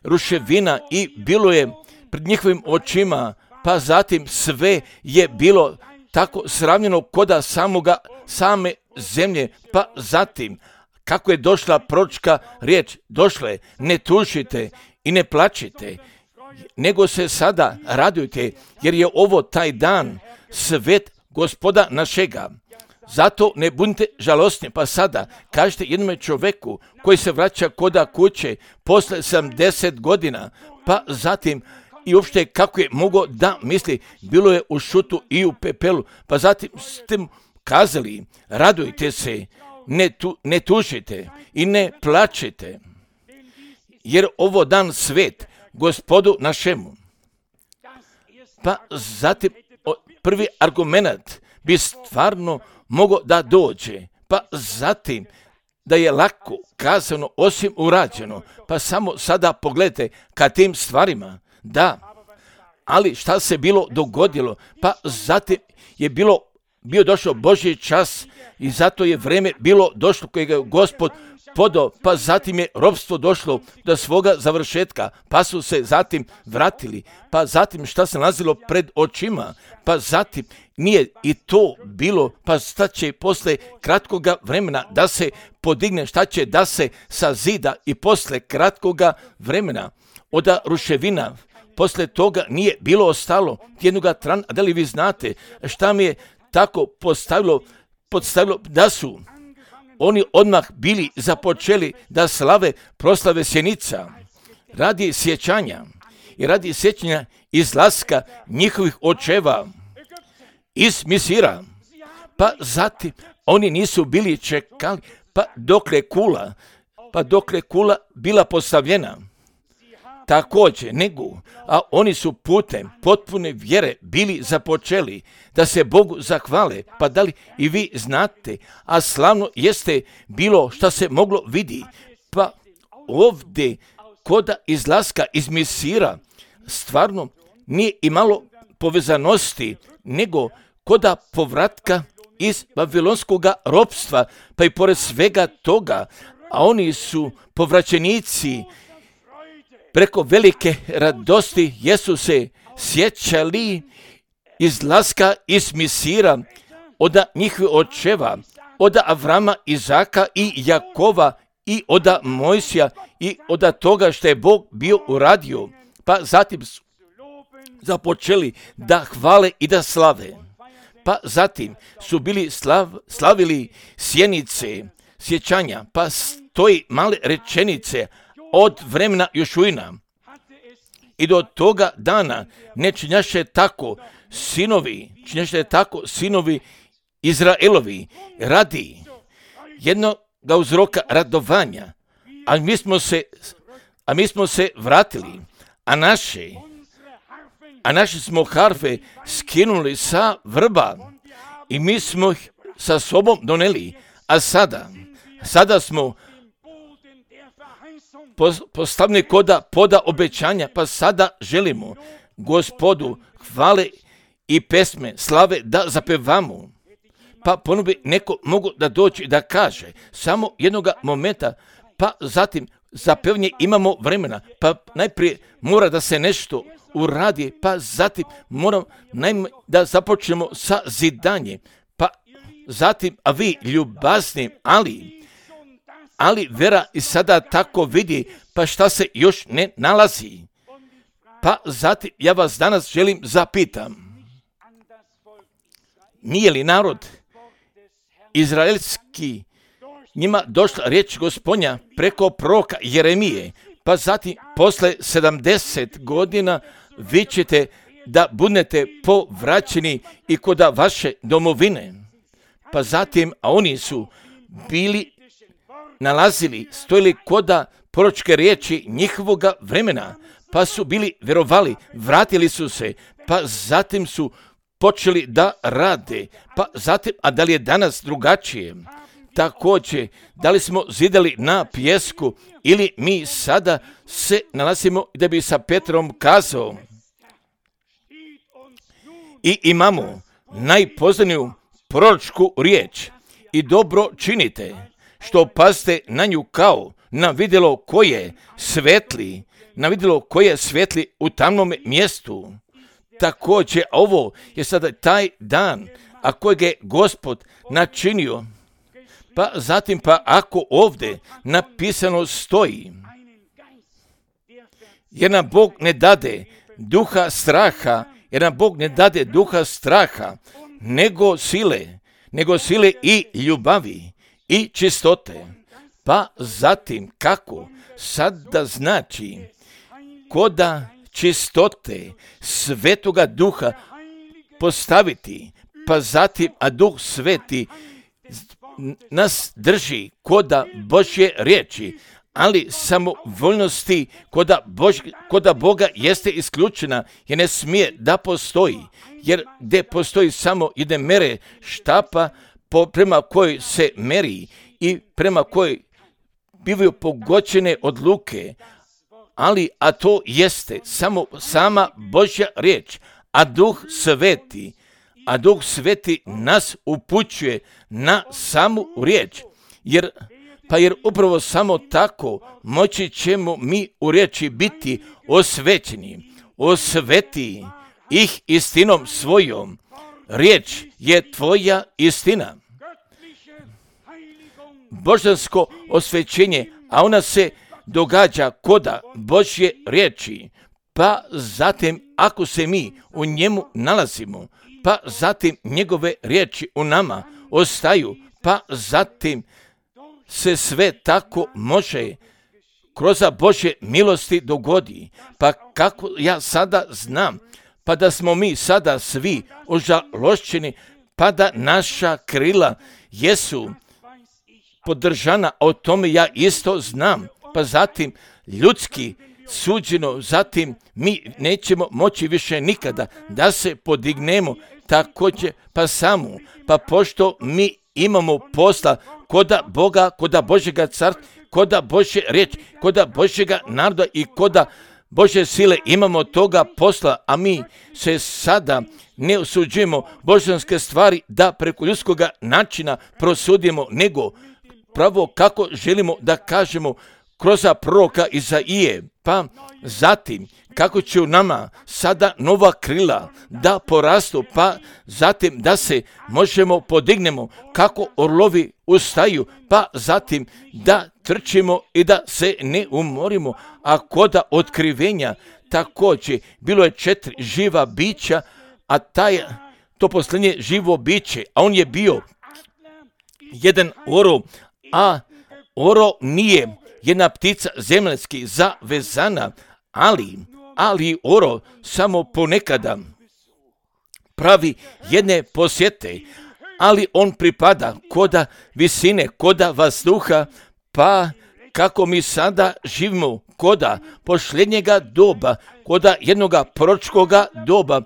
ruševina i bilo je pred njihovim očima, pa zatim sve je bilo tako sravnjeno koda same zemlje, pa zatim kako je došla proročka riječ, došla je: ne tužite i ne plačite, nego se sada radujte, jer je ovo taj dan svet Gospoda našega. Zato ne budite žalostni. Pa sada kažete jednom čovjeku koji se vraća koda kuće posle 70 godina, pa zatim i uopšte kako je mogao da misli, bilo je u šutu i u pepelu, pa zatim ste mu kazali: radujte se, ne tužite i ne plačite, jer ovo dan svet Gospodu našemu. Pa zatim prvi argument bi stvarno mogao da dođe, pa zatim da je lako kazano osim urađeno, pa samo sada pogledajte ka tim stvarima, da, ali šta se bilo dogodilo, pa zatim je bilo bio došao Božji čas i zato je vreme bilo došlo kojeg je Gospod podao, pa zatim je ropstvo došlo do svoga završetka, pa su se zatim vratili, pa zatim šta se nalazilo pred očima, pa zatim nije i to bilo, pa šta će posle kratkoga vremena da se podigne, šta će da se sazida i posle kratkoga vremena od ruševina. Posle toga nije bilo ostalo jednoga trana. A da li vi znate šta mi je tako podstavilo da su oni odmah bili započeli da slave proslave sjenica radi sjećanja i radi sjećanja izlaska njihovih očeva iz Misira. Pa zatim oni nisu bili čekali pa dokle kula bila postavljena. Također, a oni su putem potpune vjere bili započeli da se Bogu zahvale. Pa da li i vi znate, a slavno jeste bilo što se moglo vidi. Pa ovdje koda izlaska iz Misira stvarno nije imalo povezanosti, nego koda povratka iz babilonskog ropstva, pa i pored svega toga, a oni su povraćenici. Preko velike radosti jesu se sjećali izlaska iz Misira od njihovih očeva, od Avrama, Izaka i Jakova i od Mojsija i od toga što je Bog bio uradio. Pa zatim su započeli da hvale i da slave. Pa zatim su bili slavili sjenice, sjećanja, pa stoji male rečenice od vremena Jošuina i do toga dana ne činjaše tako sinovi Izraelovi radi jednog uzroka radovanja, a mi smo se vratili, a naše smo harfe skinuli sa vrba i mi smo ih sa sobom doneli, a sada smo postavni koda poda obećanja, pa sada želimo Gospodu hvale i pesme, slave da zapevamo. Pa ponovno bi neko mogu da doći i da kaže samo jednoga momenta, pa zatim za pevnje imamo vremena, pa najprije mora da se nešto uradi, pa zatim moramo da započnemo sa zidanjem, pa zatim, a vi ljubazni, ali vera i sada tako vidi, pa šta se još ne nalazi. Pa zatim ja vas danas želim zapitam, nije li narod izraelski njima došla riječ Gospodnja preko proroka Jeremije, pa zatim posle 70 godina vi ćete da budete povraćeni i kod vaše domovine. Pa zatim, a oni su bili stojili koda proročke riječi njihovoga vremena, pa su bili vjerovali, vratili su se, pa zatim su počeli da rade, pa zatim, a da li je danas drugačije? Također, da li smo zidali na pijesku ili mi sada se nalazimo da bi sa Petrom kazao i imamo najpoznaniju proročku riječ i dobro činite, što pazite na nju kao na vidjelo koje svetli u tamnom mjestu. Također, ovo je sada taj dan, a kojeg je Gospod načinio. Pa zatim, pa ako ovdje napisano stoji, jer nam Bog ne dade duha straha, nego sile i ljubavi i čistote. Pa zatim, kako sada znači koda čistote Svetoga Duha postaviti, pa zatim, a Duh Sveti nas drži koda Božje riječi, ali samovoljnosti koda Boga jeste isključena, jer ne smije da postoji, jer gdje postoji samo jedne mere štapa prema kojoj se meri i prema kojoj bivaju pogođene odluke, a to jeste samo sama Božja riječ, a Duh Sveti, a Duh Sveti nas upućuje na samu riječ. Jer upravo samo tako moći ćemo mi u riječi biti osvećeni. Osveti ih istinom svojom. Riječ je tvoja istina. Božansko osvećenje, a ona se događa koda Božje riječi, pa zatim ako se mi u njemu nalazimo, pa zatim njegove riječi u nama ostaju, pa zatim se sve tako može kroz Božje milosti dogodi. Pa kako ja sada znam, pa da smo mi sada svi ožalošćeni, pa da naša krila jesu podržana, o tome ja isto znam, pa zatim ljudski suđeno, zatim mi nećemo moći više nikada da se podignemo također pa samo, pa pošto mi imamo posla koda Boga, koda Božjega carstva, koda Božje riječi, koda Božjega naroda i koda Božje sile, imamo toga posla, a mi se sada ne osuđujemo božanske stvari da preko ljudskog načina prosudimo, nego pravo kako želimo da kažemo kroz proroka Izaije, pa zatim kako će u nama sada nova krila da porastu, pa zatim da se možemo podignemo kako orlovi ustaju, pa zatim da trčimo i da se ne umorimo. A koda otkrivenja također bilo je 4 živa bića, a to posljednje živo biće, a on je bio jedan orao, a orao nije jedna ptica zemaljski zavezana, ali orao samo ponekada pravi jedne posjete, ali on pripada koda visine, koda vazduha, pa kako mi sada živimo koda posljednjega doba, koda jednoga proročkoga doba,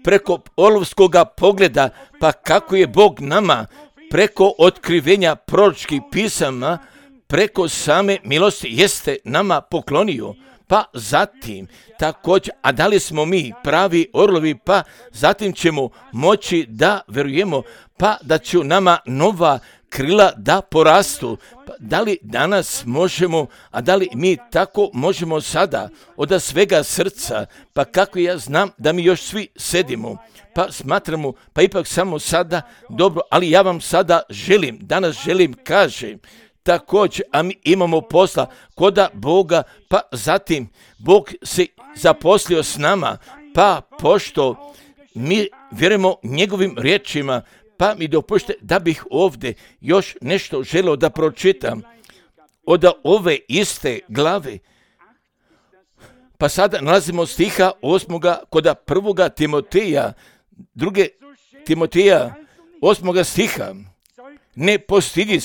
preko orlovskoga pogleda, pa kako je Bog nama preko otkrivenja proročkih pisama, preko same milosti jeste nama poklonio, pa zatim također, a da li smo mi pravi orlovi, pa zatim ćemo moći da verujemo, pa da će nama nova krila da porastu. Pa da li danas možemo, a da li mi tako možemo sada od svega srca, pa kako ja znam da mi još svi sedimo, pa smatramo, pa ipak samo sada dobro, ali ja vam sada danas želim kažem, također, a mi imamo posla koda Boga, pa zatim Bog se zaposlio s nama, pa pošto mi vjerujemo njegovim riječima, pa mi dopušte da bih ovdje još nešto želio da pročitam od ove iste glave. Pa sada nalazimo stiha 8. koda 1. Timoteja, 2. Timoteja 8. stiha. Ne postidi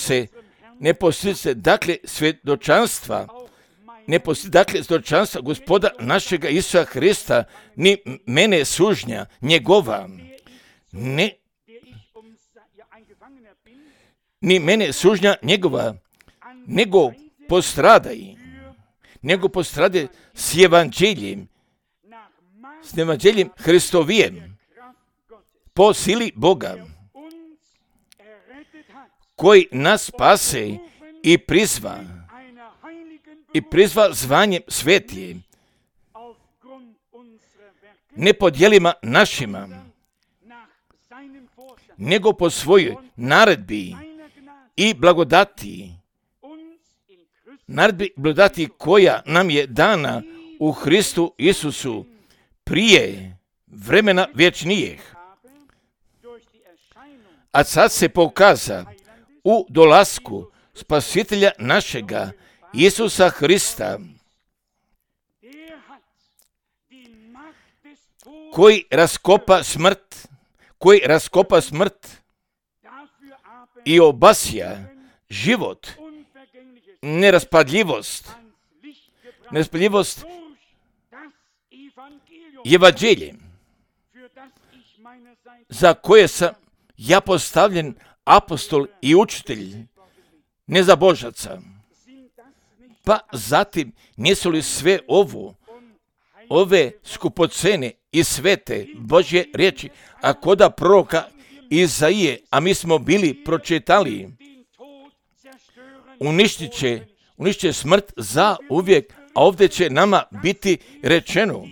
se, dakle, svjedočanstva, svjedočanstva Gospoda našega Isusa Hrista, ni mene sužnja njegova, ni mene sužnja njegova, nego postradaj s evanđeljem Hristovijem, po sili Boga, koji nas spase i prizva zvanjem svetije, ne po djelima našima, nego po svojoj naredbi i blagodati, koja nam je dana u Hristu Isusu prije vremena vječnijeg, a sad se pokaza u dolasku Spasitelja našega Isusa Hrista, koji raskopa smrt i obasja život, neraspadljivost evanđeljem, za koje sam ja postavljen apostol i učitelj nezabožaca. Pa zatim, nisu li sve ovo ove skupocene i svete Božje riječi, a koda proroka Izaije, a mi smo bili pročitali, uništit će smrt za uvijek, a ovdje će nama biti rečeno,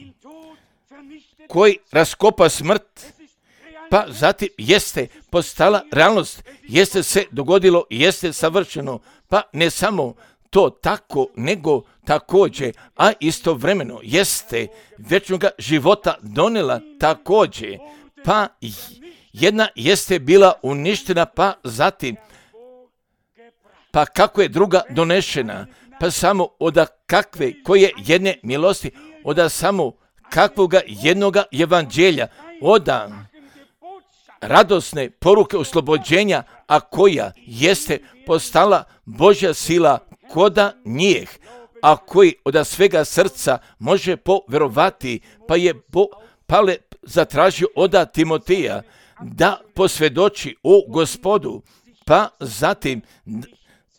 koji raskopa smrt, pa zatim jeste postala realnost, jeste se dogodilo, jeste savršeno, pa ne samo to tako, nego također, a istovremeno jeste vječnoga života donela također, pa jedna jeste bila uništena, pa zatim, pa kako je druga donešena, pa samo od kakve, koje jedne milosti, od samo kakvoga jednoga evanđelja, od radosne poruke oslobođenja, a koja jeste postala Božja sila koda njih, a koji od svega srca može povjerovati, pa je Pavle zatražio od Timoteja da posvjedoči o Gospodu, pa zatim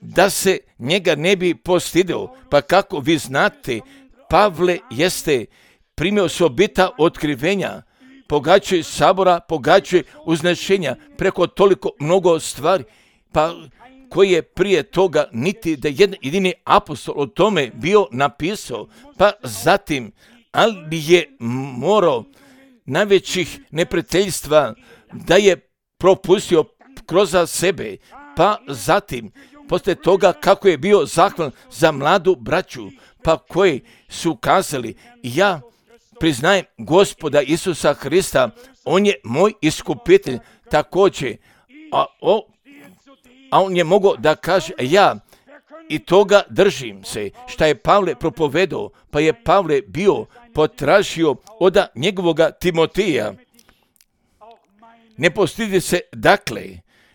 da se njega ne bi postidio, pa kako vi znate, Pavle jeste primio osobita otkrivenja, pogađaju sabora, pogađaju uznešenja preko toliko mnogo stvari, pa koji je prije toga niti da jedan jedini apostol o tome bio napisao, pa zatim, ali je morao najvećih neprijateljstva da je propustio kroz sebe, pa zatim, poslije toga kako je bio zahvalan za mladu braću, pa koji su kazali, ja priznajem Gospoda Isusa Hrista, on je moj iskupitelj također, a on je mogao da kaže, ja i toga držim se, šta je Pavle propovedao, pa je Pavle bio potražio od njegovoga Timoteja. Ne postidi se, dakle,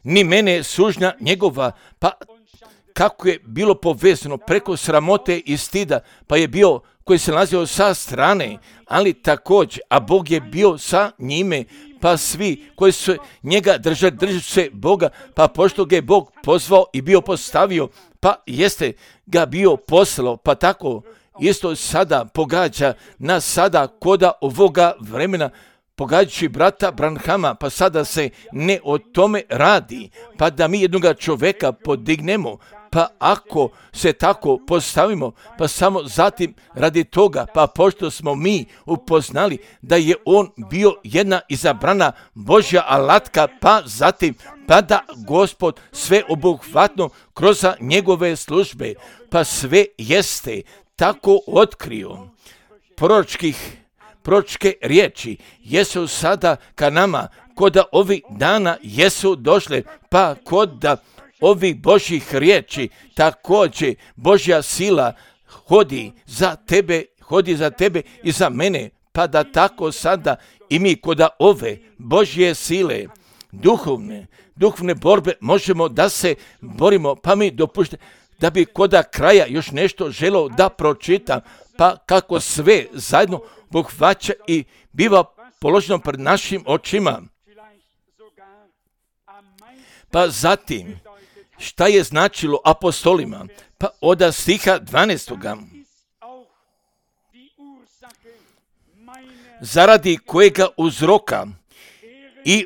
ni mene sužnja njegova, pa kako je bilo povezano preko sramote i stida, pa je bio koji se nalazio sa strane, ali također, a Bog je bio sa njime, pa svi koji su njega držali se Boga, pa pošto ga je Bog pozvao i bio postavio, pa jeste ga bio poslao, pa tako isto sada pogađa nas sada koda ovoga vremena, pogađajući brata Branhama, pa sada se ne o tome radi, pa da mi jednoga čovjeka podignemo, pa ako se tako postavimo, pa samo zatim radi toga, pa pošto smo mi upoznali da je on bio jedna izabrana Božja alatka, pa zatim, pa da Gospod sve obuhvatno kroz njegove službe, pa sve jeste tako otkrio. Proročke riječi jesu sada ka nama, kod ovih dana jesu došle, pa kod ovih Božjih riječi također Božja sila hodi za tebe i za mene, pa da tako sada i mi kod ove Božje sile duhovne borbe možemo da se borimo, pa mi dopuštate da bi kod kraja još nešto želeo da pročitam, pa kako sve zajedno obuhvaća i biva položeno pred našim očima. Pa zatim, šta je značilo apostolima? Pa od stiha 12. Zaradi kojega uzroka i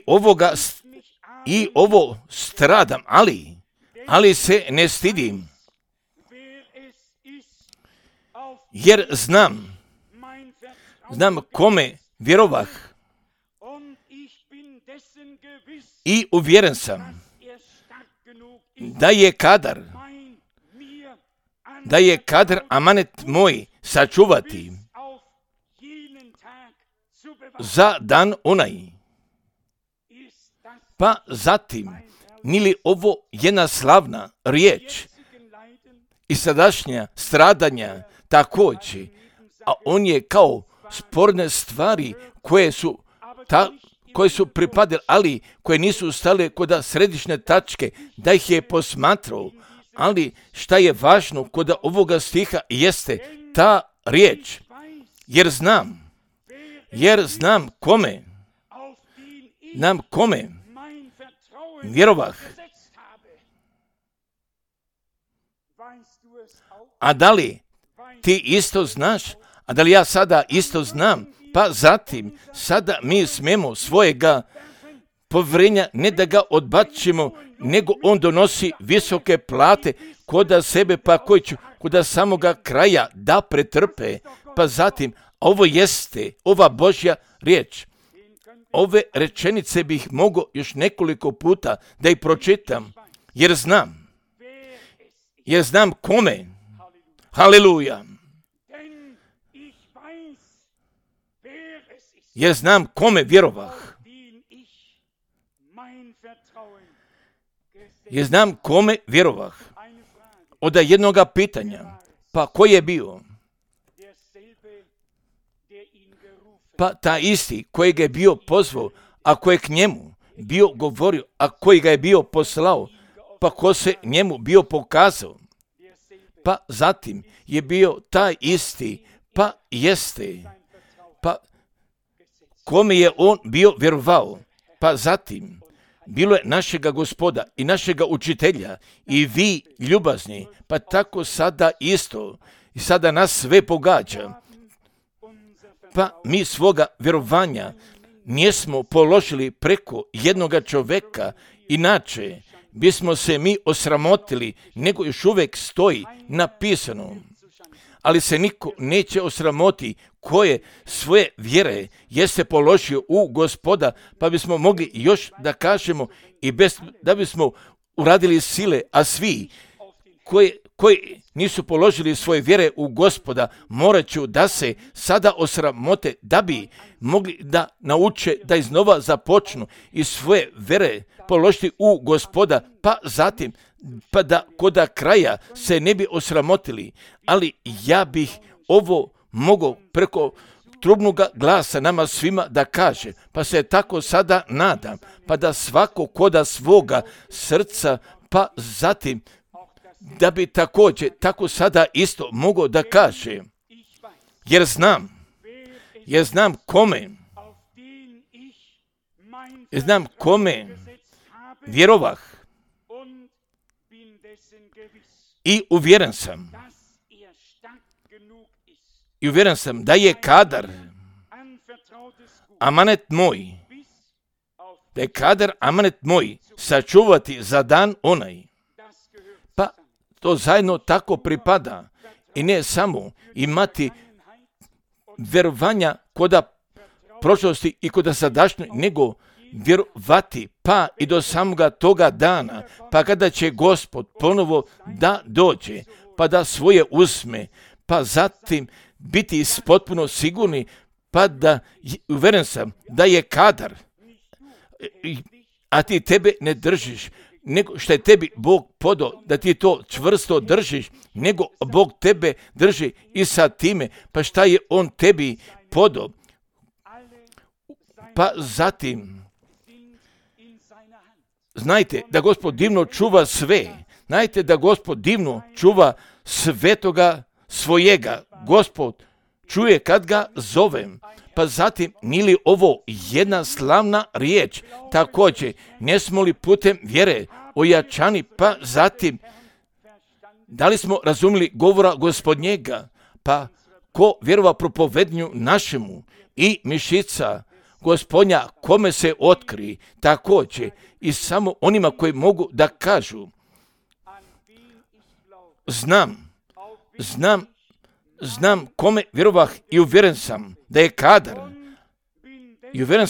ovo stradam, ali se ne stidim, jer znam kome vjerovah i uvjeren sam da je kadar amanet moj sačuvati za dan onaj. Pa zatim, nili ovo jedna slavna riječ i sadašnja stradanja također, a on je kao sporne stvari koje su pripadale, ali koje nisu stale kod središnje tačke, da ih je posmatrao. Ali šta je važno kod ovoga stiha jeste ta riječ, jer znam kome vjerovah. A da li ti isto znaš, A da li ja sada isto znam? Pa zatim, sada mi smemo svojega povjerenja ne da ga odbacimo, nego on donosi visoke plate koda sebe, pa koji će koda samoga kraja da pretrpe. Pa zatim, ovo jeste ova Božja riječ. Ove rečenice bih mogao još nekoliko puta da ih pročitam, jer znam kome. Haleluja. Jer znam kome vjerovah. Jer znam kome vjerovah. Od jednoga pitanja, pa ko je bio? Pa ta isti kojeg je bio pozvao, a koji je k njemu bio govorio, a koji ga je bio poslao, pa ko se njemu bio pokazao. Pa zatim je bio taj isti, pa jeste, pa kome je on bio vjerovao. Pa zatim bilo je našega Gospoda i našega učitelja i vi ljubazni, pa tako sada isto i sada nas sve pogađa. Pa mi svoga vjerovanja nismo položili preko jednoga čovjeka, inače bismo se mi osramotili, nego još uvijek stoji napisano. Ali se niko neće osramoti koje svoje vjere jeste položio u Gospoda, pa bismo mogli još da kažemo i bez da bismo uradili sile, a svi koji nisu položili svoje vjere u Gospoda, morat ću da se sada osramote da bi mogli da nauče da iznova započnu i svoje vjere položiti u Gospoda, pa zatim pa da koda kraja se ne bi osramotili. Ali ja bih ovo mogao preko trubnoga glasa nama svima da kaže, pa se tako sada nadam, pa da svako koda svoga srca, pa zatim da bi također tako sada isto mogao da kaže, jer znam kome vjerovah i uvjeren sam da je kadar amanet moj sačuvati za dan onaj. Pa to zajedno tako pripada i ne samo imati vjerovanja koda prošlosti i koda sadašnje, nego vjerovati pa i do samoga toga dana, pa kada će Gospod ponovo da dođe, pa da svoje uzme, pa zatim biti potpuno sigurni, pa da uveren sam da je kadar, a ti tebe ne držiš, nego što je tebi Bog podao da ti to čvrsto držiš, nego Bog tebe drži i sa time, pa šta je on tebi podao. Pa zatim, znajte da Gospod divno čuva sve, znajte da Gospod divno čuva svetoga svojega. Gospod čuje kad ga zovem. Pa zatim, nije li ovo jedna slavna riječ? Također, ne smo li putem vjere ojačani, pa zatim, da li smo razumjeli govora Gospodnjega? Pa ko vjerova propovednju našemu i mišica Gospodnja kome se otkri, također i samo onima koji mogu da kažu, znam kome vjerovah i uvjeren sam da je kadar. Uvjeren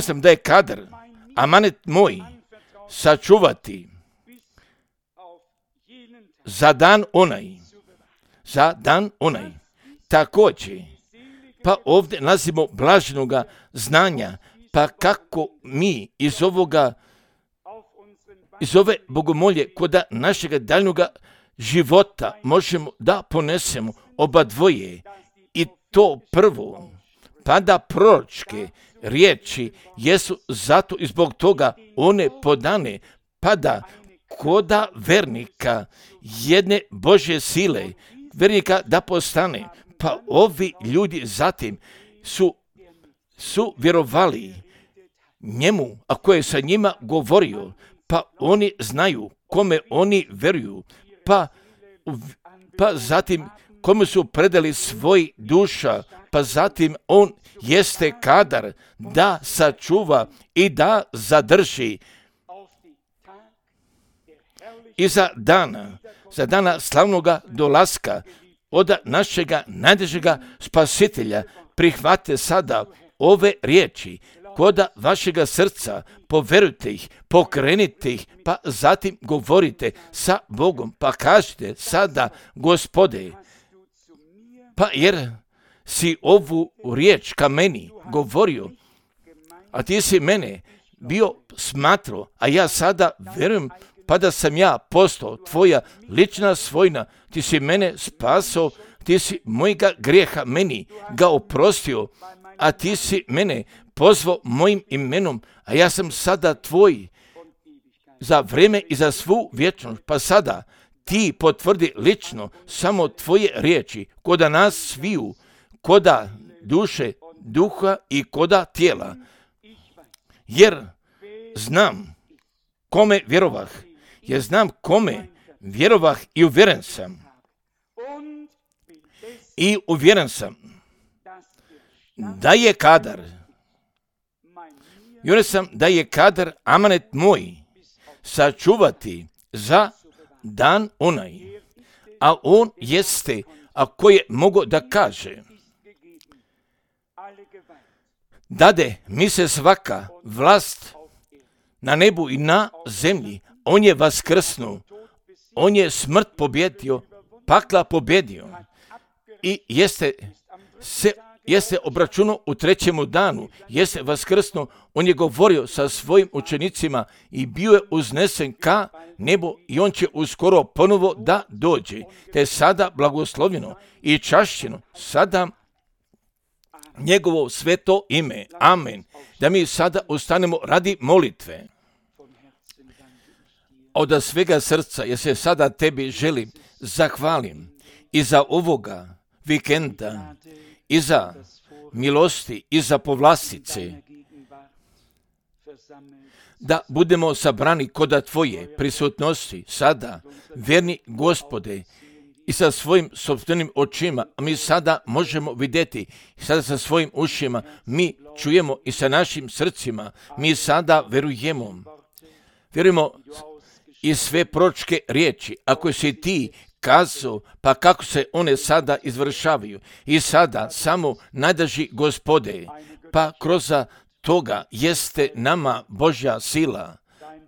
sam da je kadar amanet moj sačuvati za dan onaj. Također, pa ovdje nalazimo blaženoga znanja, pa kako mi iz ove bogomolje koda našega daljnoga života možemo da ponesemo oba dvoje, i to prvo, pa da proročke riječi jesu zato i zbog toga one podane, pa da koda vernika jedne Božje sile, vernika da postane, pa ovi ljudi zatim su vjerovali njemu, a ko je sa njima govorio, pa oni znaju kome oni vjeruju, pa zatim komu su predali svoj duša, pa zatim on jeste kadar da sačuva i da zadrži i za dana slavnoga dolaska od našega najdražega spasitelja. Prihvate sada ove riječi koda vašega srca, poverujte ih, pokrenite ih, pa zatim govorite sa Bogom, pa kažite sada: Gospode, pa jer si ovu riječ ka meni govorio, a ti si mene bio smatrao, a ja sada verujem, pa da sam ja postao tvoja lična svojina, ti si mene spasao, ti si mojega grijeha meni ga oprostio, a ti si mene pozvao mojim imenom, a ja sam sada tvoj za vrijeme i za svu vječnost. Pa sada ti potvrdi lično samo tvoje riječi koda nas sviju, koda duše, duha i koda tijela. Jer znam kome vjerovah, i uvjeren sam. I uvjeren sam da je kadar, amanet moj sačuvati za dan onaj, a on jeste, ako je mogo da kaže: dade mi se svaka vlast na nebu i na zemlji. On je vaskrsnuo, on je smrt pobjedio, pakla pobjedio i jeste obračunao u trećemu danu, jeste vaskrsnuo. On je govorio sa svojim učenicima i bio je uznesen ka nebu i on će uskoro ponovo da dođe. Te sada blagoslovljeno i čašćeno sada njegovo sveto ime. Amen. Da mi sada ustanemo radi molitve. Od svega srca, ja se sada tebi želim zahvalim i za ovoga vikenda, i za milosti, i za povlastice, da budemo sabrani koda tvoje prisutnosti sada, vjerni Gospode, i sa svojim sopstvenim očima. Mi sada možemo vidjeti, sada sa svojim ušima mi čujemo i sa našim srcima. Mi sada verujemo i sve proročke riječi, ako si ti kazao, pa kako se one sada izvršavaju. I sada samo najdraži Gospode, pa kroz toga jeste nama Božja sila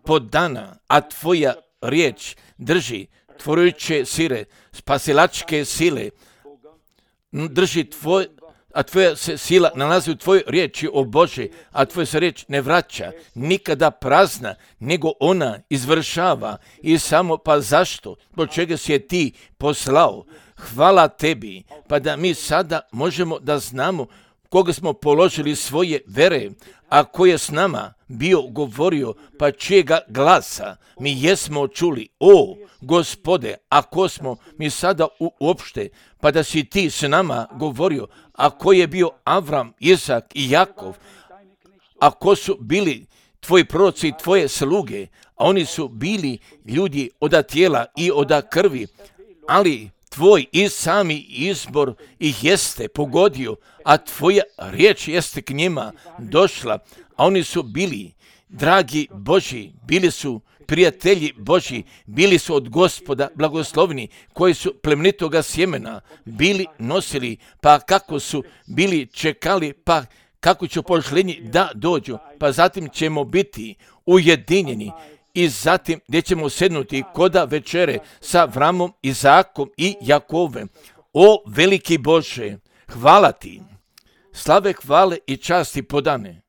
podana, a tvoja riječ drži tvorujuće sile, spasilačke sile, drži a tvoja se sila nalazi u tvojoj riječi, o Bože, a tvoja se riječ ne vraća nikada prazna, nego ona izvršava. I samo pa zašto? Zbog čega si je ti poslao? Hvala tebi, pa da mi sada možemo da znamo koga smo položili svoje vere, a ko je s nama bio govorio, pa čijega glasa mi jesmo čuli. O Gospode, ako smo mi sada uopšte, pa da si ti s nama govorio, a ko je bio Avram, Izak i Jakov, a ko su bili tvoji proroci i tvoje sluge, a oni su bili ljudi od tijela i od krvi, ali tvoj i sami izbor ih jeste pogodio, a tvoja riječ jeste k njima došla, a oni su bili dragi Božji, bili su prijatelji Božji, bili su od Gospoda blagoslovni, koji su plemenitoga sjemena bili nosili, pa kako su bili čekali, pa kako će pošlenji da dođu, pa zatim ćemo biti ujedinjeni i zatim gdje ćemo sednuti koda večere sa Avramom, Izakom i Jakovem. O veliki Bože, hvala ti, slave, hvale i časti podane.